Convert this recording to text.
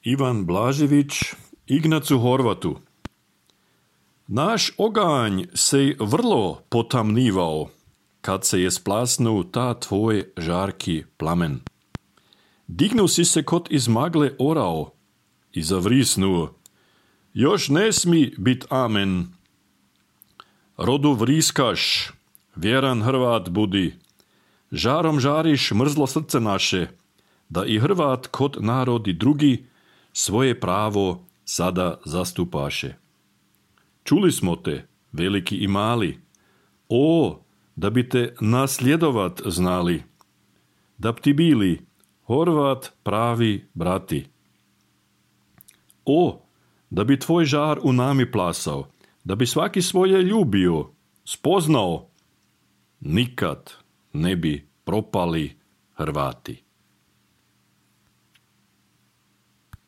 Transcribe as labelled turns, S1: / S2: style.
S1: Ivan Blažević Ignacu Horvatu. Naš oganj se vrlo potamnivao, kad se je splasnuo ta tvoj žarki plamen. Dignuo si se kot iz magle orao i zavrisnuo. Još ne smi bit amen. Rodu vriskaš, vjeran Hrvat budi. Žarom žariš mrzlo srce naše, da i Hrvat kod narodi drugi svoje pravo sada zastupaše. Čuli smo te, veliki i mali, o, da bi te nasljedovat znali, da bi ti bili Horvat pravi brati. O, da bi tvoj žar u nami plasao, da bi svaki svoje ljubio, spoznao, nikad ne bi propali Hrvati.